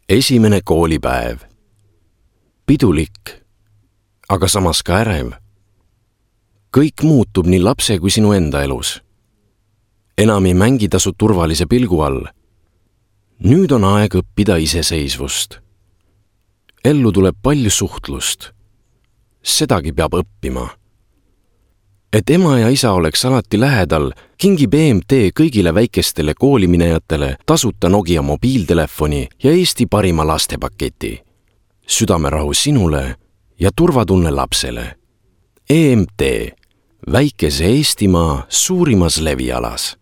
Esimene koolipäev. Pidulik, aga samas ka ärev. Kõik muutub nii lapse kui sinu enda elus. Enam ei mängi tasu turvalise pilgu all. Nüüd on aeg õppida iseseisvust. Ellu tuleb palju suhtlust. Sedagi peab õppima. Et ema ja isa oleks alati lähedal, kingib EMT kõigile väikestele kooliminejatele tasuta Nokia mobiiltelefoni ja Eesti parima lastepaketi. Südamerahu sinule ja turvatunne lapsele. EMT, väikese Eestimaa suurimas levialas.